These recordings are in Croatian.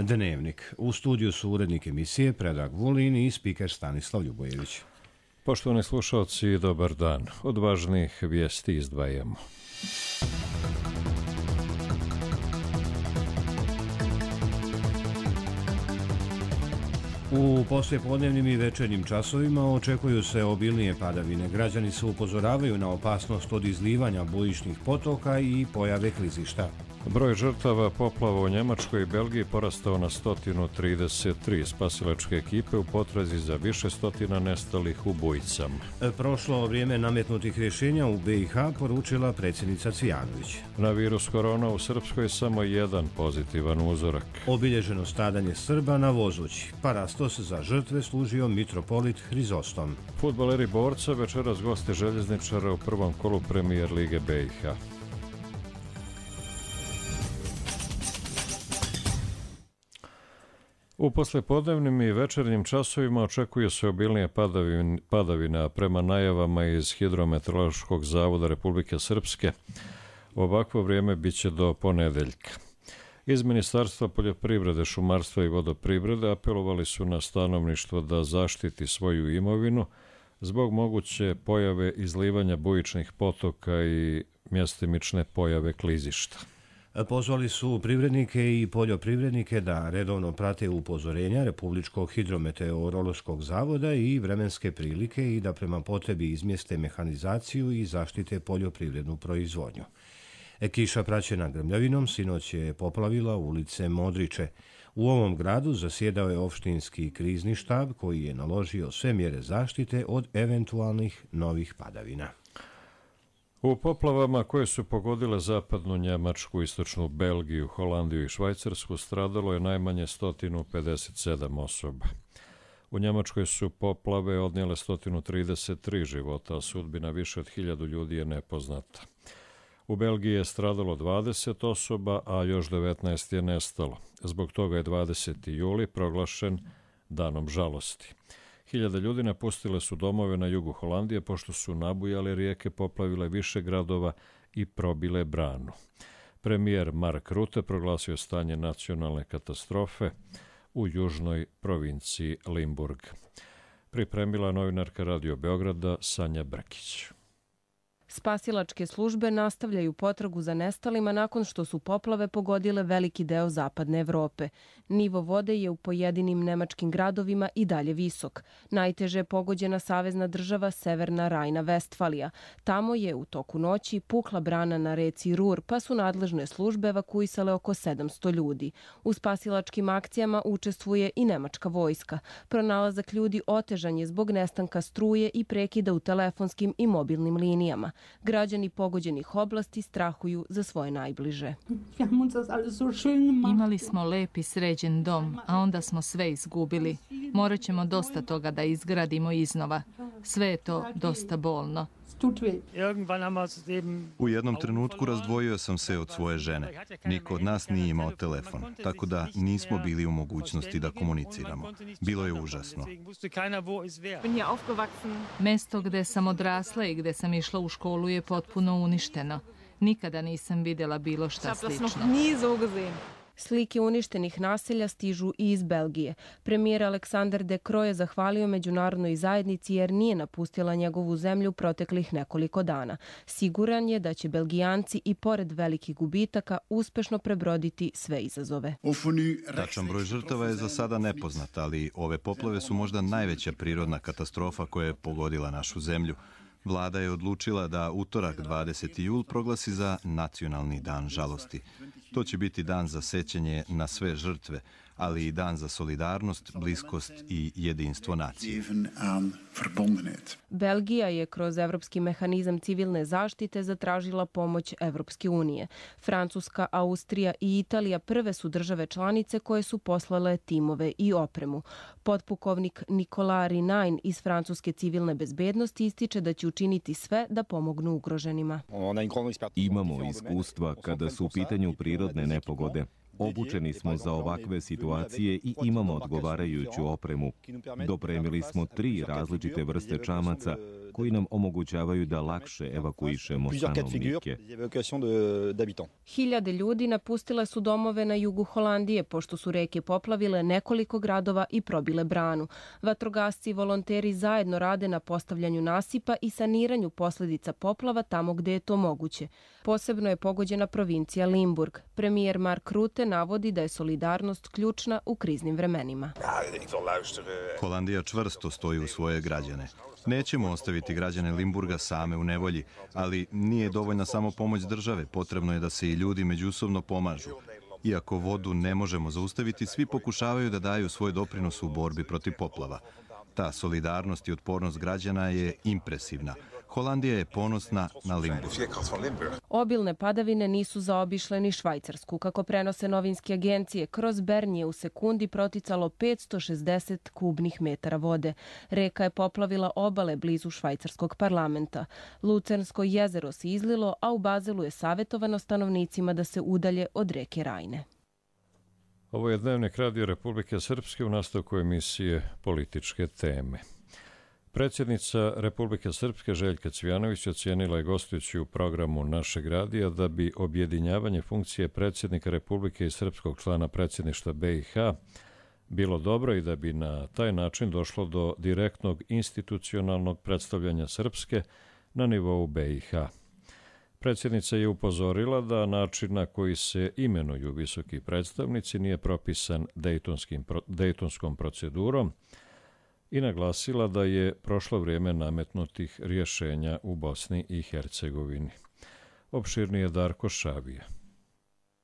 Dnevnik. U studiju su urednik emisije Predrag Vulin i spiker Stanislav Ljubojević. Poštovani slušalci, dobar dan. Od važnih vijesti izdvajamo. U poslijepodnevnim i večernjim časovima očekuju se obilnije padavine. Građani se upozoravaju na opasnost od izlivanja bujičnih potoka i pojave klizišta. Broj žrtava poplava u Njemačkoj i Belgiji porastao na 133. Spasilačke ekipe u potrazi za više stotina nestalih u bujicama. Prošlo vrijeme nametnutih rješenja u BiH, poručila predsjednica Cvijanović. Na virus korona u Srpskoj samo jedan pozitivan uzorak. Obilježeno stradanje Srba na Vozući. Parastos za žrtve služio mitropolit Hrizostom. Fudbaleri Borca večeras goste željezničara u prvom kolu Premijer Lige BiH. U poslijepodnevnim i večernjim časovima očekuje se obilnije padavina prema najavama iz Hidrometeorološkog zavoda Republike Srpske. Ovakvo vrijeme biće do ponedeljka. Iz Ministarstva poljoprivrede, šumarstva i vodoprivrede apelovali su na stanovništvo da zaštiti svoju imovinu zbog moguće pojave izlivanja bujičnih potoka i mjestimične pojave klizišta. Pozvali su privrednike i poljoprivrednike da redovno prate upozorenja Republičkog hidrometeorološkog zavoda i vremenske prilike i da prema potrebi izmjeste mehanizaciju i zaštite poljoprivrednu proizvodnju. Kiša praćena grmljavinom sinoć je poplavila ulice Modriče. U ovom gradu zasjedao je opštinski krizni štab koji je naložio sve mjere zaštite od eventualnih novih padavina. U poplavama koje su pogodile zapadnu Njemačku, istočnu Belgiju, Holandiju i Švajcarsku stradalo je najmanje 157 osoba. U Njemačkoj su poplave odnijele 133 života, a sudbina više od 1000 ljudi je nepoznata. U Belgiji je stradalo 20 osoba, a još 19 je nestalo. Zbog toga je 20. juli proglašen danom žalosti. 1000 ljudi napustile su domove na jugu Holandije pošto su nabujale rijeke, poplavile više gradova i probile branu. Premijer Mark Rutte proglasio stanje nacionalne katastrofe u južnoj provinciji Limburg. Pripremila novinarka Radio Beograda Sanja Brkić. Spasilačke službe nastavljaju potragu za nestalima nakon što su poplave pogodile veliki deo zapadne Evrope. Nivo vode je u pojedinim nemačkim gradovima i dalje visok. Najteže je pogođena savezna država Severna Rajna-Vestfalija. Tamo je u toku noći pukla brana na reci Rur, pa su nadležne službe evakuisale oko 700 ljudi. U spasilačkim akcijama učestvuje i nemačka vojska. Pronalazak ljudi otežan je zbog nestanka struje i prekida u telefonskim i mobilnim linijama. Građani pogođenih oblasti strahuju za svoje najbliže. Imali smo lep i sređen dom, a onda smo sve izgubili. Morat ćemo dosta toga da izgradimo iznova. Sve je to dosta bolno. U jednom trenutku razdvojio sam se od svoje žene. Niko od nas nije imao telefon, tako da nismo bili u mogućnosti da komuniciramo. Bilo je užasno. Mesto gde sam odrasla i gde sam išla u školu je potpuno uništeno. Nikada nisam vidjela bilo šta slično. Slike uništenih naselja stižu i iz Belgije. Premijer Alexander De Croo je zahvalio međunarodnoj zajednici jer nije napustila njegovu zemlju proteklih nekoliko dana. Siguran je da će Belgijanci i pored velikih gubitaka uspešno prebroditi sve izazove. Tačan broj žrtava je za sada nepoznat, ali ove poplave su možda najveća prirodna katastrofa koja je pogodila našu zemlju. Vlada je odlučila da utorak 20. jul proglasi za nacionalni dan žalosti. To će biti dan za sećanje na sve žrtve, ali i dan za solidarnost, bliskost i jedinstvo nacije. Belgija je kroz Evropski mehanizam civilne zaštite zatražila pomoć Evropske unije. Francuska, Austrija i Italija prve su države članice koje su poslale timove i opremu. Potpukovnik Nicolas Rinain iz Francuske civilne bezbednosti ističe da će učiniti sve da pomognu ugroženima. Imamo iskustva kada su u pitanju prirodne nepogode. Obučeni smo za ovakve situacije i imamo odgovarajuću opremu. Dopremili smo 3 različite vrste čamaca koji nam omogućavaju da lakše evakuišemo stanovnike. Hiljade ljudi napustile su domove na jugu Holandije pošto su reke poplavile nekoliko gradova i probile branu. Vatrogasci i volonteri zajedno rade na postavljanju nasipa i saniranju posljedica poplava tamo gde je to moguće. Posebno je pogođena provincija Limburg. Premijer Mark Rutte navodi da je solidarnost ključna u kriznim vremenima. Holandija čvrsto stoji u svoje građane. Nećemo ostaviti građane Limburga same u nevolji, ali nije dovoljna samo pomoć države, potrebno je da se i ljudi međusobno pomažu. Iako vodu ne možemo zaustaviti, svi pokušavaju da daju svoj doprinos u borbi protiv poplava. Ta solidarnost i otpornost građana je impresivna. Holandija je ponosna na Limburg. Obilne padavine nisu zaobišle ni Švajcarsku. Kako prenose novinske agencije, kroz Bern je u sekundi proticalo 560 kubnih metara vode. Reka je poplavila obale blizu švajcarskog parlamenta. Lucernsko jezero se izlilo, a u Bazelu je savjetovano stanovnicima da se udalje od reke Rajne. Ovo je Dnevnik Radio Republike Srpske u nastavku emisije Političke teme. Predsjednica Republike Srpske Željka Cvijanović ocijenila je gostujući u programu našeg radija da bi objedinjavanje funkcije predsjednika Republike i srpskog člana predsjedništva BiH bilo dobro i da bi na taj način došlo do direktnog institucionalnog predstavljanja Srpske na nivou BiH. Predsjednica je upozorila da način na koji se imenuju visoki predstavnici nije propisan Dejtonskom procedurom i naglasila da je prošlo vrijeme nametnutih rješenja u Bosni i Hercegovini. Opširnije Darko Šabija.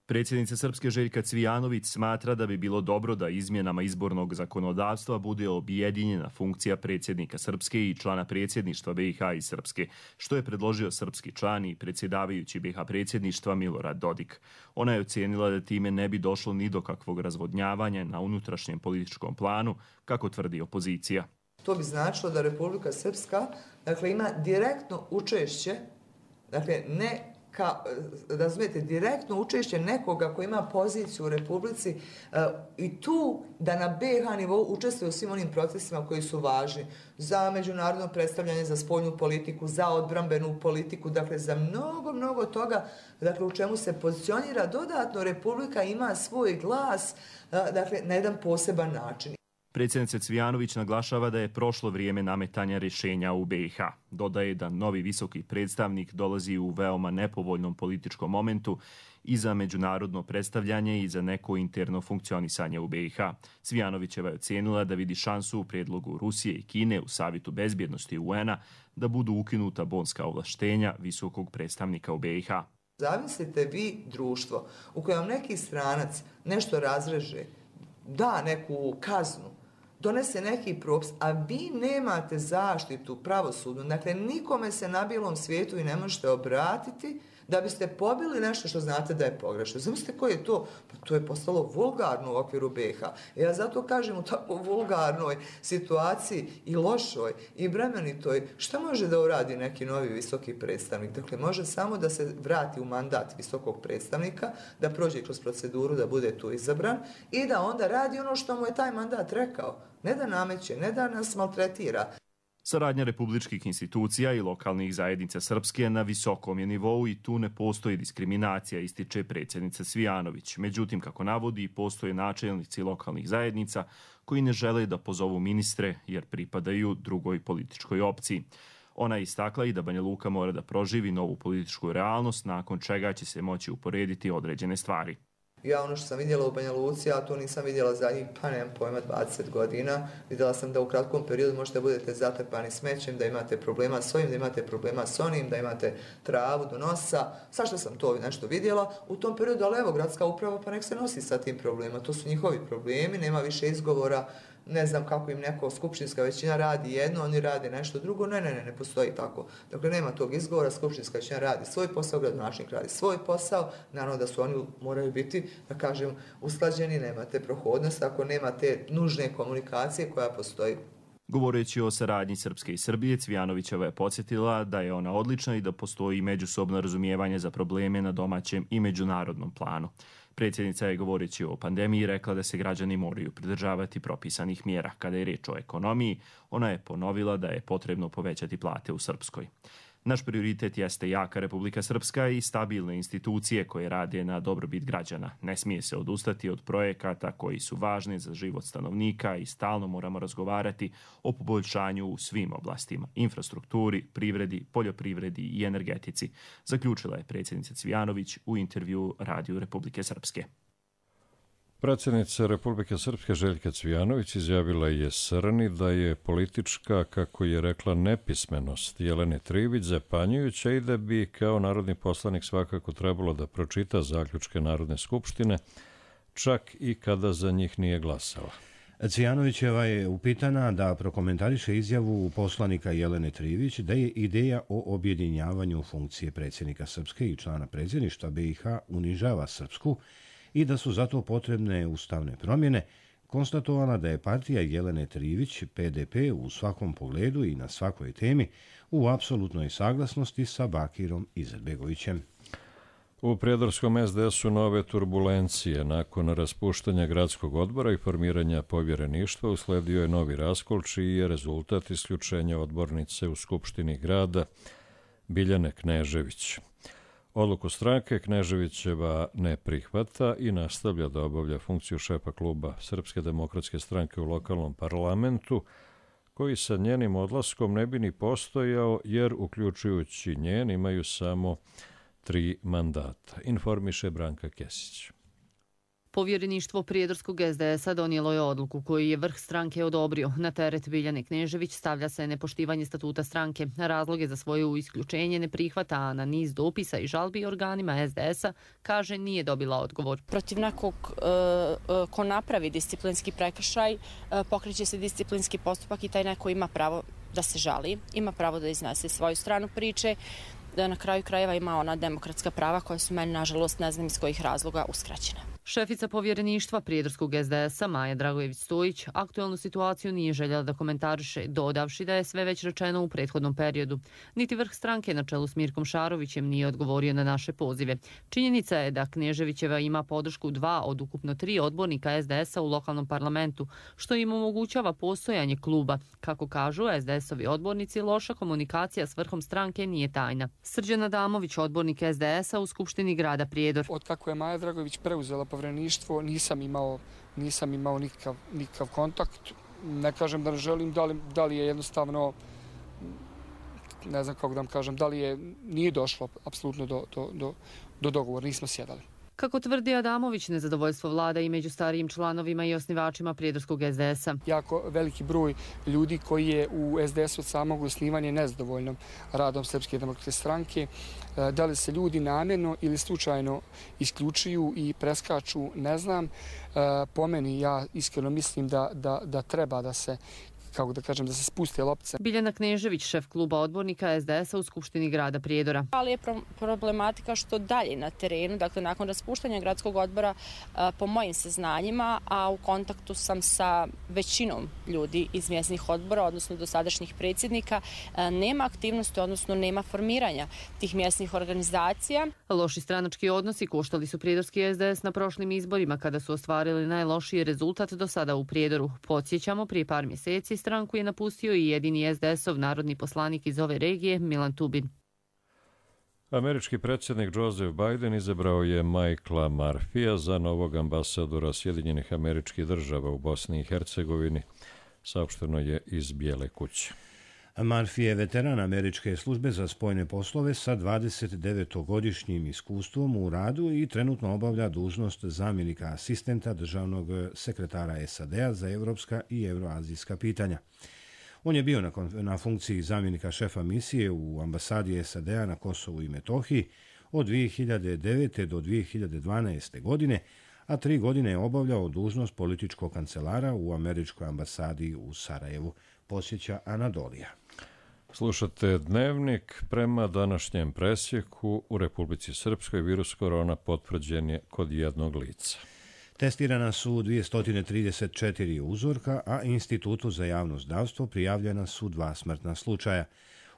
Predsjednica Srpske Željka Cvijanović smatra da bi bilo dobro da izmjenama izbornog zakonodavstva bude objedinjena funkcija predsjednika Srpske i člana predsjedništva BiH i Srpske, što je predložio srpski član i predsjedavajući BiH predsjedništva Milorad Dodik. Ona je ocijenila da time ne bi došlo ni do kakvog razvodnjavanja na unutrašnjem političkom planu, kako tvrdi opozicija. To bi značilo da Republika Srpska ima direktno učešće, ne razumijete, direktno učešće nekoga koji ima poziciju u Republici i tu da na BiH nivou učestvuje u svim onim procesima koji su važni za međunarodno predstavljanje, za spoljnu politiku, za odbrambenu politiku, za mnogo toga, u čemu se pozicionira dodatno Republika ima svoj glas, na jedan poseban način. Predsjednica Cvijanović naglašava da je prošlo vrijeme nametanja rješenja u BiH. Dodaje da novi visoki predstavnik dolazi u veoma nepovoljnom političkom momentu i za međunarodno predstavljanje i za neko interno funkcionisanje u BiH. Cvijanovićeva je ocijenila da vidi šansu u prijedlogu Rusije i Kine u Savjetu bezbjednosti UN-a da budu ukinuta bonska ovlaštenja visokog predstavnika u BiH. Zamislite vi društvo u kojem neki stranac nešto razreže, da neku kaznu, donese neki propis, a vi nemate zaštitu pravosudnu. Nikome se na bijelom svijetu i ne možete obratiti da biste pobili nešto što znate da je pogrešno. Zamislite koji je to? Pa to je postalo vulgarno u okviru BiH. Ja zato kažem u tako vulgarnoj situaciji i lošoj i bremenitoj, šta može da uradi neki novi visoki predstavnik? Može samo da se vrati u mandat visokog predstavnika, da prođe kroz proceduru, da bude tu izabran i da onda radi ono što mu je taj mandat rekao. Ne da nameće, ne da nas maltretira. Saradnja republičkih institucija i lokalnih zajednica Srpske na visokom je nivou i tu ne postoji diskriminacija, ističe predsjednica Cvijanović. Međutim, kako navodi, postoje načelnici lokalnih zajednica koji ne žele da pozovu ministre jer pripadaju drugoj političkoj opciji. Ona je istakla i da Banja Luka mora da proživi novu političku realnost, nakon čega će se moći uporediti određene stvari. Ja ono što sam vidjela u Banja Luci, a to nisam vidjela zadnjih, nemam pojma, 20 godina. Vidjela sam da u kratkom periodu možete budete zatrpani smećem, da imate problema s ovim, da imate problema s onim, da imate travu do nosa. Svašta sam to nešto vidjela u tom periodu, ali evo, gradska uprava pa nek se nosi sa tim problemima. To su njihovi problemi, nema više izgovora. Ne znam kako im neko skupštinska većina radi jedno, oni rade nešto drugo. Ne postoji tako. Nema tog izgovora, skupštinska većina radi svoj posao, gradonačelnik radi svoj posao. Naravno da su oni moraju biti, usklađeni, nemate prohodnost ako nemate nužne komunikacije koja postoji. Govoreći o saradnji Srpske i Srbije, Cvijanovićeva je podsjetila da je ona odlična i da postoji međusobno razumijevanje za probleme na domaćem i međunarodnom planu. Predsjednica je, govoreći o pandemiji, rekla da se građani moraju pridržavati propisanih mjera. Kada je riječ o ekonomiji, ona je ponovila da je potrebno povećati plate u Srpskoj. Naš prioritet jeste jaka Republika Srpska i stabilne institucije koje rade na dobrobit građana. Ne smije se odustati od projekata koji su važni za život stanovnika i stalno moramo razgovarati o poboljšanju u svim oblastima, infrastrukturi, privredi, poljoprivredi i energetici, zaključila je predsjednica Cvijanović u intervju Radiju Republike Srpske. Predsjednica Republike Srpske Željka Cvijanović izjavila je Srni da je politička, kako je rekla, nepismenost Jelene Trivić zapanjujuća i da bi kao narodni poslanik svakako trebalo da pročita zaključke Narodne skupštine, čak i kada za njih nije glasala. Cvijanovićeva je upitana da prokomentariše izjavu poslanika Jelene Trivić da je ideja o objedinjavanju funkcije predsjednika Srpske i člana predsjedništva BiH unižava Srpsku i da su zato potrebne ustavne promjene, konstatovala da je partija Jelene Trivić, PDP, u svakom pogledu i na svakoj temi u apsolutnoj saglasnosti sa Bakirom Izetbegovićem. U prijedorskom SDS-u nove turbulencije. Nakon raspuštanja gradskog odbora i formiranja povjereništva usledio je novi raskol, čiji je rezultat isključenja odbornice u Skupštini grada Biljane Knežević. Odluku stranke Kneževićeva ne prihvata i nastavlja da obavlja funkciju šefa kluba Srpske demokratske stranke u lokalnom parlamentu, koji sa njenim odlaskom ne bi ni postojao, jer uključujući njen imaju samo 3 mandata, informiše Branka Kesić. Povjereništvo prijedorskog SDS-a donijelo je odluku koju je vrh stranke odobrio. Na teret Biljane Knežević stavlja se nepoštivanje statuta stranke. Razloge za svoje isključenje ne prihvata, a na niz dopisa i žalbi organima SDS-a kaže nije dobila odgovor. Protiv nekog ko napravi disciplinski prekršaj pokreće se disciplinski postupak i taj neko ima pravo da se žali, ima pravo da iznese svoju stranu priče, da na kraju krajeva ima ona demokratska prava koja su meni, nažalost, ne znam iz kojih razloga, uskraćena. Šefica povjereništva prijedorskog SDS-a Maja Dragojević-Stojić aktualnu situaciju nije željela da komentariše, dodavši da je sve već rečeno u prethodnom periodu. Niti vrh stranke na čelu s Mirkom Šarovićem nije odgovorio na naše pozive. Činjenica je da Kneževićeva ima podršku 2 od ukupno 3 odbornika SDS-a u lokalnom parlamentu, što im omogućava postojanje kluba. Kako kažu SDS-ovi odbornici, loša komunikacija s vrhom stranke nije tajna. Srđan Adamović, odbornik SDS-a u Skupštini grada Prijedor. Od kako je Maja Dragojević preuzela povjereništvo, nisam imao nikakav kontakt. Ne kažem da ne želim, da li je jednostavno, ne znam kako da vam kažem, da li nije došlo apsolutno do dogovora, nismo sjedali. Kako tvrdi Adamović, nezadovoljstvo vlada i među starijim članovima i osnivačima prijedorskog SDS-a. Jako veliki broj ljudi koji je u SDS-u od samog osnivanja nezadovoljno radom Srpske demokratske stranke. Da li se ljudi namjerno ili slučajno isključuju i preskaču, ne znam. Po meni, ja iskreno mislim da treba da se, kako da kažem, da se spuste loptice. Biljana Knežević, šef kluba odbornika SDS-a u Skupštini grada Prijedora. Ali je problematika što dalje na terenu, dakle nakon raspuštanja gradskog odbora, po mojim saznanjima, a u kontaktu sam sa većinom ljudi iz mjesnih odbora, odnosno dosadašnjih predsjednika, nema aktivnosti, odnosno nema formiranja tih mjesnih organizacija. Loši stranački odnosi koštali su prijedorski SDS na prošlim izborima kada su ostvarili najlošiji rezultat do sada u Prijedoru. Podsjećamo, prije par mjeseci stranku je napustio i jedini SDS-ov narodni poslanik iz ove regije, Milan Tubin. Američki predsjednik Joseph Biden izabrao je Michaela Murphyja za novog ambasadora Sjedinjenih Američkih Država u Bosni i Hercegovini, saopšteno je iz Bijele kuće. Murphy je veteran američke službe za spoljne poslove sa 29-godišnjim iskustvom u radu i trenutno obavlja dužnost zamjenika asistenta državnog sekretara SAD-a za evropska i euroazijska pitanja. On je bio na funkciji zamjenika šefa misije u ambasadi SAD-a na Kosovu i Metohiji od 2009. do 2012. godine, a 3 godine je obavljao dužnost političkog kancelara u američkoj ambasadi u Sarajevu, posjeća Anadolija. Slušate Dnevnik. Prema današnjem presjeku u Republici Srpskoj virus korona potvrđen je kod jednog lica. Testirana su 234 uzorka, a Institutu za javno zdravstvo prijavljena su 2 smrtna slučaja.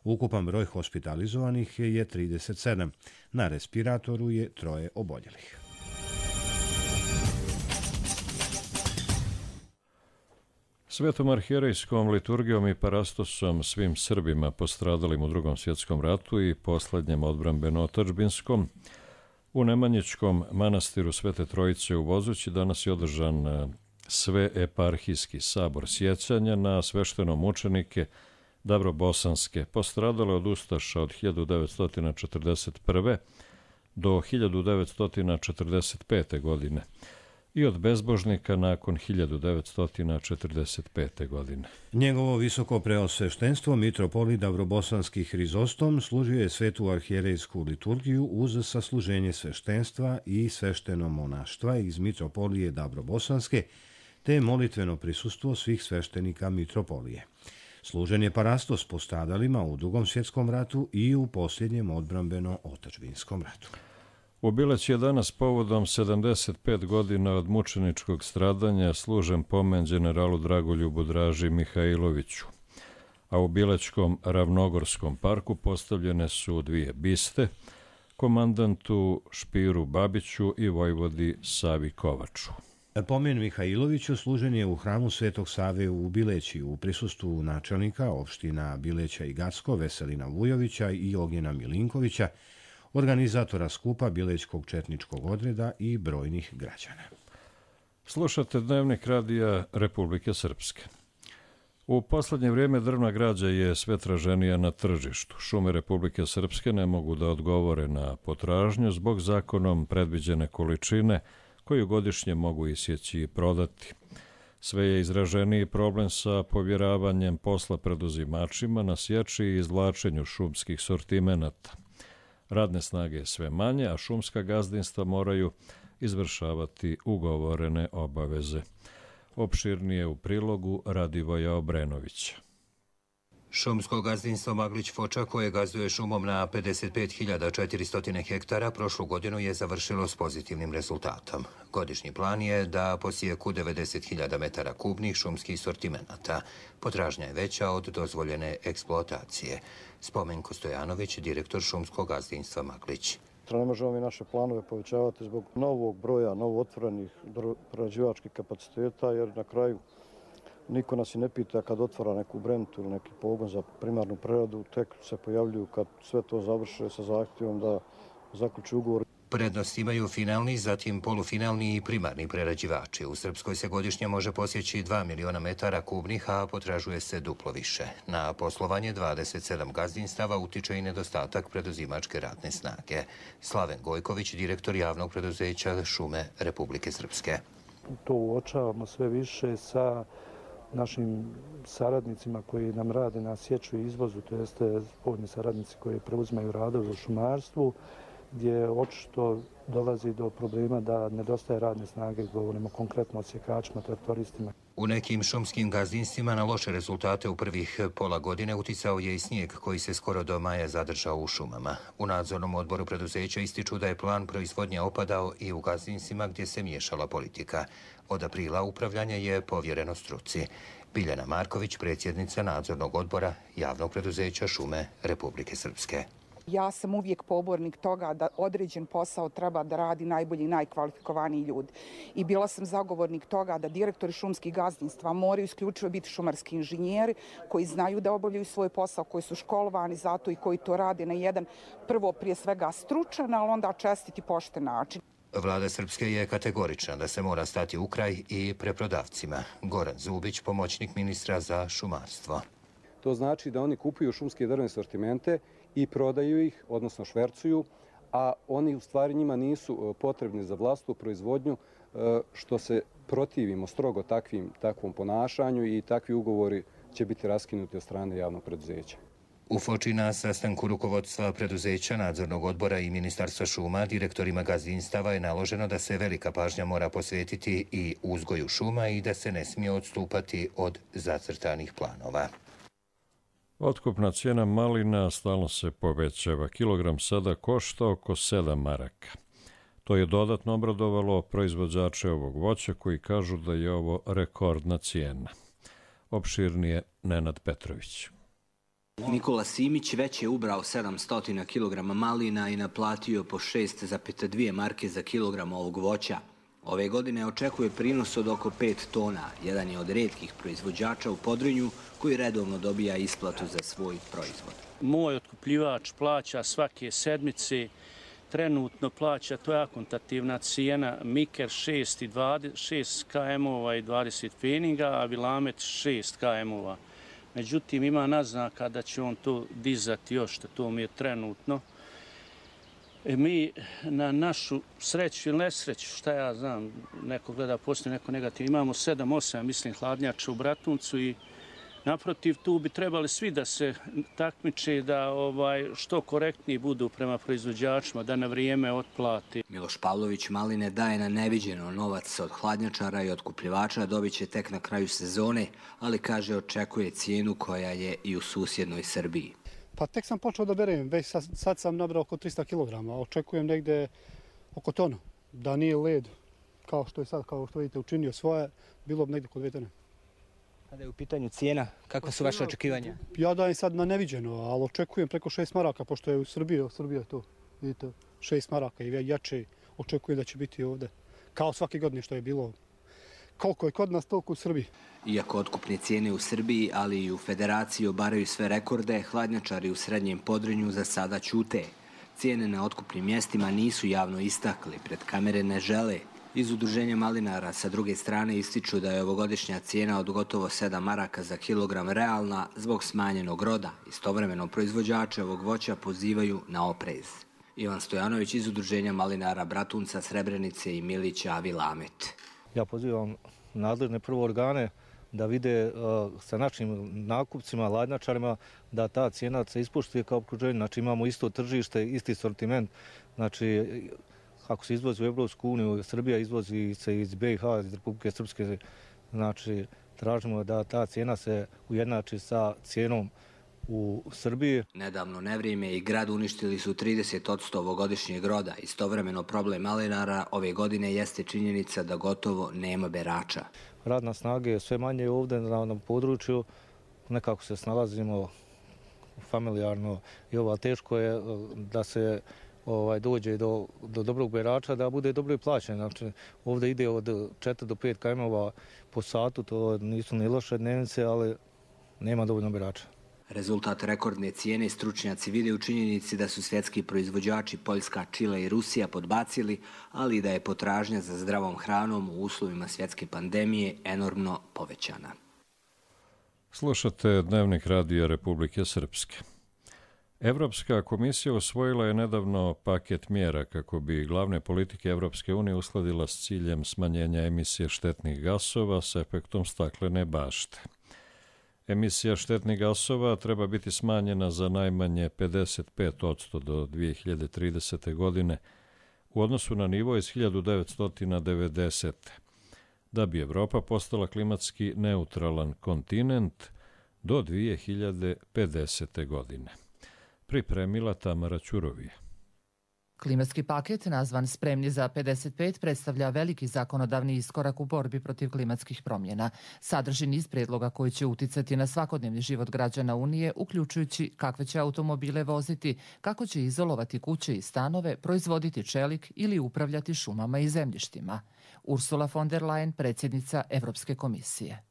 Ukupan broj hospitalizovanih je 37. Na respiratoru je 3 oboljelih. Svetom arhijerejskom liturgijom i parastosom svim Srbima postradalim u Drugom svjetskom ratu i posljednjem odbrambeno-otadžbinskom u Nemanjičkom manastiru Svete Trojice u Vozući danas je održan sveeparhijski sabor sjećanja na sveštenomučenike Dabrobosanske postradale od ustaša od 1941. do 1945. godine i od bezbožnika nakon 1945. godine. Njegovo visoko preosveštenstvo mitropolit Dabrobosanski Hrizostom služio je svetu arhijerejsku liturgiju uz sasluženje sveštenstva i svešteno monaštva iz mitropolije Dabrobosanske te molitveno prisustvo svih sveštenika mitropolije. Služen je parastos postradalima u Drugom svjetskom ratu i u posljednjem odbrambeno-otadžbinskom ratu. U Bileći je danas povodom 75 godina od mučeničkog stradanja služen pomen generalu Dragoljubu Draži Mihajloviću, a u Bilećkom Ravnogorskom parku postavljene su dvije biste, komandantu Špiru Babiću i vojvodi Savi Kovaču. Pomen Mihajloviću služen je u hramu Svetog Save u Bileći u prisustvu načelnika opština Bileća i Gacko Veselina Vujovića i Ognjena Milinkovića, organizatora skupa Bilećkog četničkog odreda i brojnih građana. Slušate Dnevnik radija Republike Srpske. U posljednje vrijeme drvna građa je sve traženija na tržištu. Šume Republike Srpske ne mogu da odgovore na potražnju zbog zakonom predviđene količine koju godišnje mogu isjeći i prodati. Sve je izraženiji problem sa povjeravanjem posla preduzimačima na sječi i izvlačenju šumskih sortimenata. Radne snage je sve manje, a šumska gazdinstva moraju izvršavati ugovorene obaveze. Opširnije u prilogu Radivoja Obrenovića. Šumsko gazdinstvo Maglić Foča, koje gazduje šumom na 55.400 hektara, prošlu godinu je završilo s pozitivnim rezultatom. Godišnji plan je da posijeku 90.000 metara kubnih šumskih sortimenata. Potražnja je veća od dozvoljene eksploatacije. Spomenko Stojanović, direktor šumskog gazdinstva Maglić. Ne možemo mi naše planove povećavati zbog novog broja, novootvorenih prerađivačkih kapaciteta, jer na kraju niko nas i ne pita kad otvara neku brentu ili neki pogon za primarnu preradu, tek se pojavljuju kad sve to završe sa zahtjevom da zaključi ugovor. Prednost imaju finalni, zatim polufinalni i primarni prerađivači. U Srpskoj se godišnje može posjeći 2 miliona metara kubnih, a potražuje se duplo više. Na poslovanje 27 gazdinstava utiče i nedostatak preduzimačke radne snage. Slaven Gojković, direktor javnog preduzeća Šume Republike Srpske. To uočavamo sve više sa našim saradnicima koji nam rade na sječu i izvozu, to jeste spoljni saradnici koji preuzimaju radove u šumarstvu, gdje očito dolazi do problema da nedostaje radne snage, govorimo konkretno o sjekačima, traktoristima. U nekim šumskim gazdinstvima na loše rezultate u prvih pola godine uticao je i snijeg koji se skoro do maja zadržao u šumama. U nadzornom odboru preduzeća ističu da je plan proizvodnje opadao i u gazdinstvima gdje se miješala politika. Od aprila upravljanje je povjereno struci. Biljana Marković, predsjednica nadzornog odbora javnog preduzeća Šume Republike Srpske. Ja sam uvijek pobornik toga da određen posao treba da radi najbolji i najkvalifikovaniji ljudi. I bila sam zagovornik toga da direktori šumskih gazdinstva moraju isključivo biti šumarski inženjeri koji znaju da obavljaju svoj posao, koji su školovani zato i koji to rade na jedan prvo prije svega stručan, ali onda čestit i pošten način. Vlada Srpske je kategorična da se mora stati u kraj i preprodavcima. Goran Zubić, pomoćnik ministra za šumarstvo. To znači da oni kupuju šumske drvne sortimente i prodaju ih, odnosno švercuju, a oni u stvari njima nisu potrebni za vlastnu proizvodnju, što se protivimo strogo takvom ponašanju i takvi ugovori će biti raskinuti od strane javnog preduzeća. U Foči na sastanku rukovodstva preduzeća, nadzornog odbora i ministarstva šuma direktorima gazdinstava je naloženo da se velika pažnja mora posvetiti i uzgoju šuma i da se ne smije odstupati od zacrtanih planova. Otkupna cijena malina stalno se povećava. Kilogram sada košta oko 7 maraka. To je dodatno obradovalo proizvođače ovog voća koji kažu da je ovo rekordna cijena. Opširnije Nenad Petrović. Nikola Simić već je ubrao 700 kg malina i naplatio po 6,2 marke za kilogram ovog voća. Ove godine očekuje prinos od oko 5 tona. Jedan je od retkih proizvođača u Podrinju koji redovno dobija isplatu za svoj proizvod. Moj otkupljivač plaća svake sedmice, trenutno plaća, to je akontativna cijena, Miker 6 km-ova i 20 pfeninga, a Vilamet 6 km-ova. Međutim, ima naznaka da će on to dizati još, što to mi je trenutno. Mi na našu sreću ili nesreću, šta ja znam, neko gleda postoji neko negativ, imamo 7-8, mislim, hladnjača u Bratuncu i naprotiv, tu bi trebali svi da se takmiče da što korektniji budu prema proizvođačima, da na vrijeme otplati. Miloš Pavlović maline daje na neviđeno, novac od hladnjačara i otkupljivača dobit će tek na kraju sezone, ali kaže očekuje cijenu koja je i u susjednoj Srbiji. Pa tek sam počeo da berem, već sad sam nabrao oko 300 kg, očekujem negde oko tonu, da nije led kao što je sad, kao što vidite, učinio svoje, bilo bi negde kod 2 tone. Kada je u pitanju cijena, kako su vaše očekivanja? Ja dajem sad na neviđeno, ali očekujem preko 6 maraka, pošto je u Srbiji to, vidite, 6 maraka i jače očekujem da će biti ovde. Kao svake godine što je bilo. Koliko je kod nas, toliko u Srbiji. Iako otkupne cijene u Srbiji, ali i u Federaciji obaraju sve rekorde, hladnjačari u Srednjem Podrinju za sada ćute. Cijene na otkupnim mjestima nisu javno istakli, pred kamere ne žele. Iz udruženja malinara sa druge strane ističu da je ovogodišnja cijena od gotovo 7 maraka za kilogram realna zbog smanjenog roda. Istovremeno proizvođače ovog voća pozivaju na oprez. Ivan Stojanović iz udruženja malinara Bratunca, Srebrenice i Milića, Vilamet. Ja pozivam nadležne prvo organe da vide sa našim nakupcima, hladnjačarima, da ta cijena se ispoštuje kao okruženje. Znači imamo isto tržište, isti sortiment. Znači, ako se izvozi u Evropsku uniju, Srbija izvozi se iz BiH, iz Republike Srpske, znači tražimo da ta cijena se ujednači sa cijenom u Srbiji. Nedavno nevrijeme i grad uništili su 30% ovogodišnjeg roda. Istovremeno problem malinara ove godine jeste činjenica da gotovo nema berača. Radna snaga je sve manje ovdje na području, nekako se snalazimo familijarno i teško je da se dođe do dobrog berača, da bude dobro i plaćen. Znači, ovdje ide od 4 do 5 km po satu, to nisu ni loše dnevnice, ali nema dovoljno berača. Rezultat rekordne cijene stručnjaci vide u činjenici da su svjetski proizvođači Poljska, Čile i Rusija podbacili, ali i da je potražnja za zdravom hranom u uslovima svjetske pandemije enormno povećana. Slušate Dnevnik radija Republike Srpske. Evropska komisija usvojila je nedavno paket mjera kako bi glavne politike Evropske unije uskladila s ciljem smanjenja emisije štetnih gasova s efektom staklene bašte. Emisija štetnih gasova treba biti smanjena za najmanje 55% do 2030. godine u odnosu na nivo iz 1990. da bi Evropa postala klimatski neutralan kontinent do 2050. godine. Pripremila Tamara Ćurovija. Klimatski paket, nazvan Spremni za 55, predstavlja veliki zakonodavni iskorak u borbi protiv klimatskih promjena. Sadrži niz predloga koji će uticati na svakodnevni život građana Unije, uključujući kakve će automobile voziti, kako će izolovati kuće i stanove, proizvoditi čelik ili upravljati šumama i zemljištima. Ursula von der Leyen, predsjednica Evropske komisije.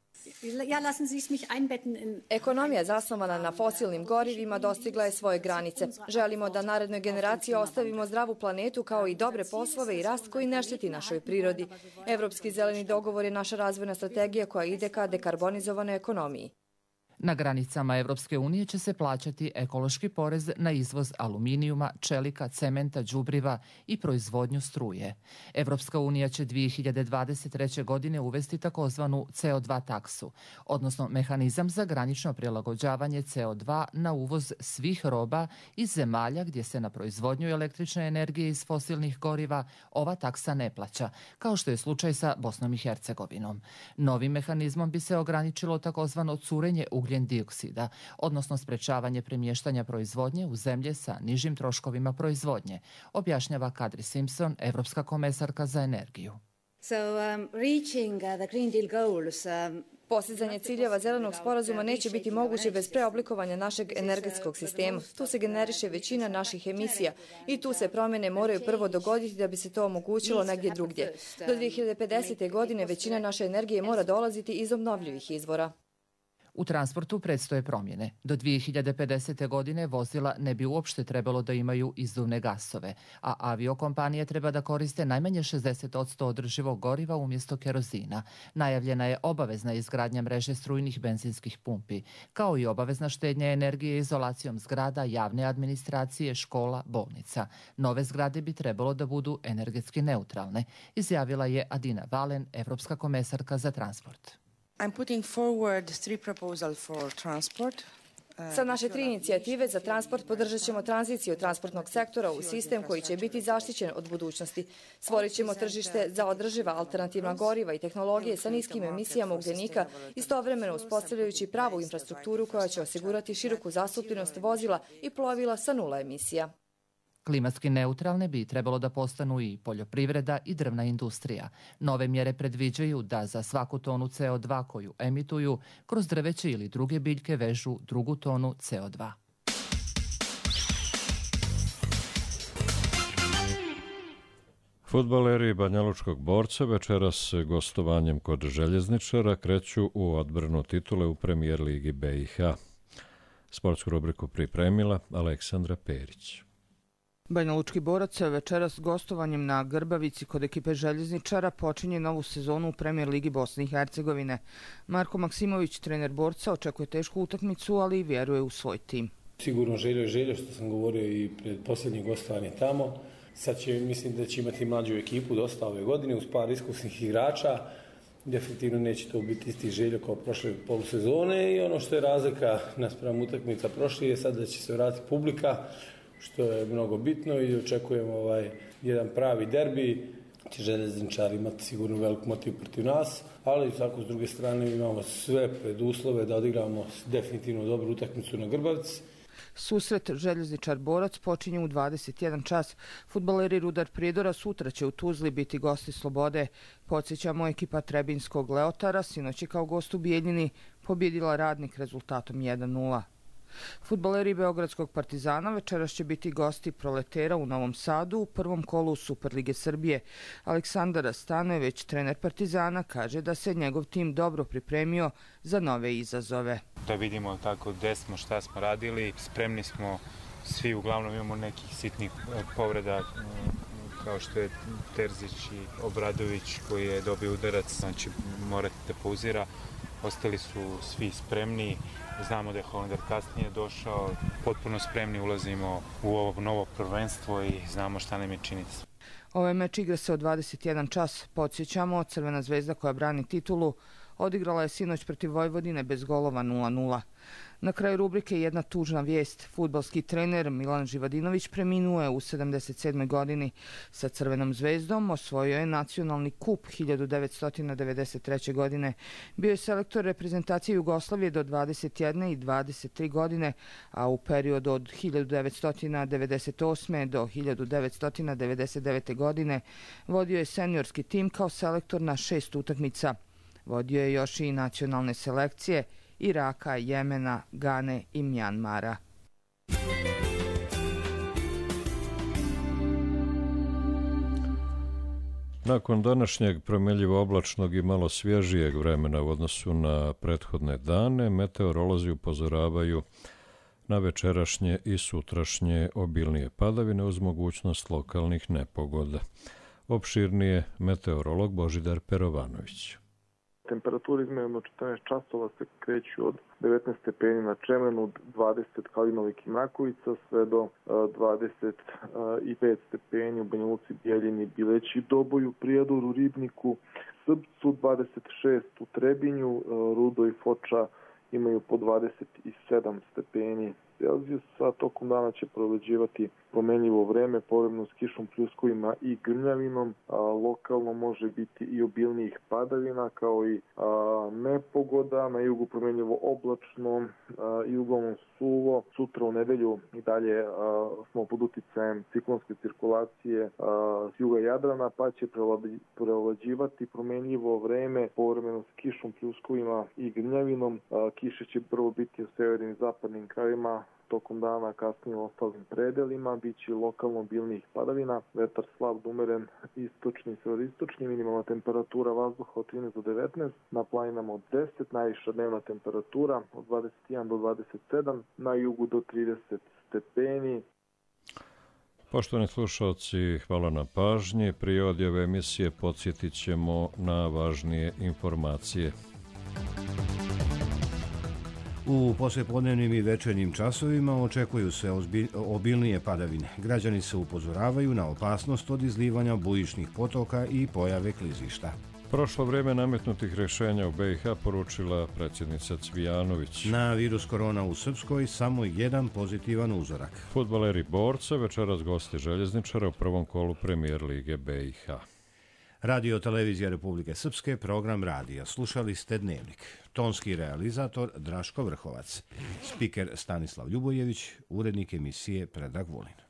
Ekonomija zasnovana na fosilnim gorivima dostigla je svoje granice. Želimo da narednoj generaciji ostavimo zdravu planetu kao i dobre poslove i rast koji ne šteti našoj prirodi. Evropski zeleni dogovor je naša razvojna strategija koja ide ka dekarbonizovanoj ekonomiji. Na granicama Evropske unije će se plaćati ekološki porez na izvoz aluminijuma, čelika, cementa, đubriva i proizvodnju struje. Evropska unija će 2023. godine uvesti takozvanu CO2 taksu, odnosno mehanizam za granično prilagođavanje CO2 na uvoz svih roba iz zemalja gdje se na proizvodnju električne energije iz fosilnih goriva ova taksa ne plaća, kao što je slučaj sa Bosnom i Hercegovinom. Novim mehanizmom bi se ograničilo takozvano curenje ugljen dioksida, odnosno sprečavanje premještanja proizvodnje u zemlje sa nižim troškovima proizvodnje, objašnjava Kadri Simpson, evropska komesarka za energiju. So reaching the Green Deal goals Postizanje ciljeva zelenog sporazuma neće biti moguće bez preoblikovanja našeg energetskog sistema. Tu se generiše većina naših emisija i tu se promjene moraju prvo dogoditi da bi se to omogućilo negdje drugdje. Do 2050. godine većina naše energije mora dolaziti iz obnovljivih izvora. U transportu predstoje promjene. Do 2050. godine vozila ne bi uopšte trebalo da imaju izduvne gasove, a aviokompanije treba da koriste najmanje 60% održivog goriva umjesto kerozina. Najavljena je obavezna izgradnja mreže strujnih benzinskih pumpi, kao i obavezna štednja energije izolacijom zgrada, javne administracije, škola, bolnica. Nove zgrade bi trebalo da budu energetski neutralne, izjavila je Adina Valen, evropska komesarka za transport. I'm putting forward 3 proposals for transport. Sa naše 3 inicijative za transport podržat ćemo tranziciju transportnog sektora u sistem koji će biti zaštićen od budućnosti. Stvorit ćemo tržište za održiva alternativna goriva i tehnologije sa niskim emisijama ugljenika, istovremeno uspostavljajući pravu infrastrukturu koja će osigurati široku zastupljenost vozila i plovila sa 0 emisija. Klimatski neutralne bi trebalo da postanu i poljoprivreda i drvna industrija. Nove mjere predviđaju da za svaku tonu CO2 koju emituju, kroz drveće ili druge biljke vežu drugu tonu CO2. Fudbaleri Banjalučkog Borca večeras gostovanjem kod Željezničara kreću u odbranu titule u Premijer ligi BiH. Sportsku rubriku pripremila Aleksandra Perić. Banjalučki Borac večeras gostovanjem na Grbavici kod ekipe Željezničara počinje novu sezonu u Premijer ligi Bosne i Hercegovine. Marko Maksimović, trener Borca, očekuje tešku utakmicu, ali i vjeruje u svoj tim. Sigurno željo, što sam govorio i pred posljednje gostovanje tamo. Sad mislim da će imati mlađu ekipu dosta ove godine uz par iskusnih igrača. Definitivno neće to biti isti Željo kao prošle polusezone i ono što je razlika naspram utakmica prošli je sad da će se vratiti publika, što je mnogo bitno i očekujemo jedan pravi derbi. Će Željezničar imati sigurno velik motiv protiv nas, ali tako s druge strane imamo sve preduslove da odigramo definitivno dobru utakmicu na Grbavici. Susret Željezničar-Borac počinje u 21 čas. Fudbaleri Rudar Prijedora sutra će u Tuzli biti gosti Slobode. Podsjećamo, ekipa Trebinskog Leotara sinoć je kao gost u Bijeljini pobjedila Radnik rezultatom 1:0. Fudbaleri Beogradskog Partizana večeras će biti gosti Proletera u Novom Sadu u prvom kolu Superlige Srbije. Aleksandar Stanojević, trener Partizana, kaže da se njegov tim dobro pripremio za nove izazove. Da vidimo tako gde smo, šta smo radili, spremni smo svi, uglavnom imamo nekih sitnih povreda kao što je Terzić i Obradović koji je dobio udarac, znači morate da pauzira. Ostali su svi spremni, znamo da je Hollander kasnije došao, potpuno spremni ulazimo u ovo novo prvenstvo i znamo šta nam je činiti. Ovaj meč igra se od 21 čas. Podsjećamo, Crvena zvezda koja brani titulu odigrala je sinoć protiv Vojvodine bez golova 0:0. Na kraju rubrike jedna tužna vijest. Fudbalski trener Milan Živadinović preminuo je u 77. godini. Sa Crvenom zvezdom osvojio je nacionalni kup 1993. godine. Bio je selektor reprezentacije Jugoslavije do 21. i 23 godine, a u periodu od 1998. do 1999. godine vodio je seniorski tim kao selektor na 6 utakmica. Vodio je još i nacionalne selekcije Iraka, Jemena, Gane i Mjanmara. Nakon današnjeg promjenjivo oblačnog i malo svježijeg vremena u odnosu na prethodne dane, meteorolozi upozoravaju na večerašnje i sutrašnje obilnije padavine uz mogućnost lokalnih nepogoda. Opširnije meteorolog Božidar Perovanović. Temperature izmjereno 14 časova se kreću od 19 stepeni na Čemenu, 20 Kalinovik i Mrakovica, sve do 25 stepeni u Banja Luci, Bijeljini, Bileći, Doboju, Prijedoru, Ribniku, Srpcu, 26 u Trebinju, Rudo i Foča imaju po 27 stepeni Celzijusa. Tokom dana će prevlađivati promenljivo vreme, povremeno s kišom, pljuskovima i grmljavinom. Lokalno može biti i obilnijih padavina, kao i nepogoda. Na jugu promenljivo oblačno i uglavnom suvo. Sutra u nedelju i dalje smo pod uticajem ciklonske cirkulacije s juga Jadrana, pa će prevlađivati promenljivo vreme, povremeno s kišom, pljuskovima i grmljavinom. Kiše će prvo biti u severnim i zapadnim krajevima, tokom dana kasnije u ostalim predelima, bit će lokalno obilnijih padavina, vetar slab do umeren istočni i severistočni, minimalna temperatura vazduha od 13 do 19, na planinama od 10, najviša dnevna temperatura od 21 do 27, na jugu do 30 stepeni. Poštovani slušalci, hvala na pažnji. Prije odjave emisije podsjetit ćemo na važnije informacije. U poslijepodnevnim i večernjim časovima očekuju se obilnije padavine. Građani se upozoravaju na opasnost od izlivanja bujičnih potoka i pojave klizišta. Prošlo vrijeme nametnutih rješenja u BiH poručila predsjednica Cvijanović. Na virus korona u Srpskoj samo jedan pozitivan uzorak. Fudbaleri Borca večeras gosti Željezničara u prvom kolu Premijer Lige BiH. Radio Televizija Republike Srpske, program radija. Slušali ste Dnevnik. Tonski realizator Draško Vrhovac. Spiker Stanislav Ljubojević, urednik emisije Predrag Vulin.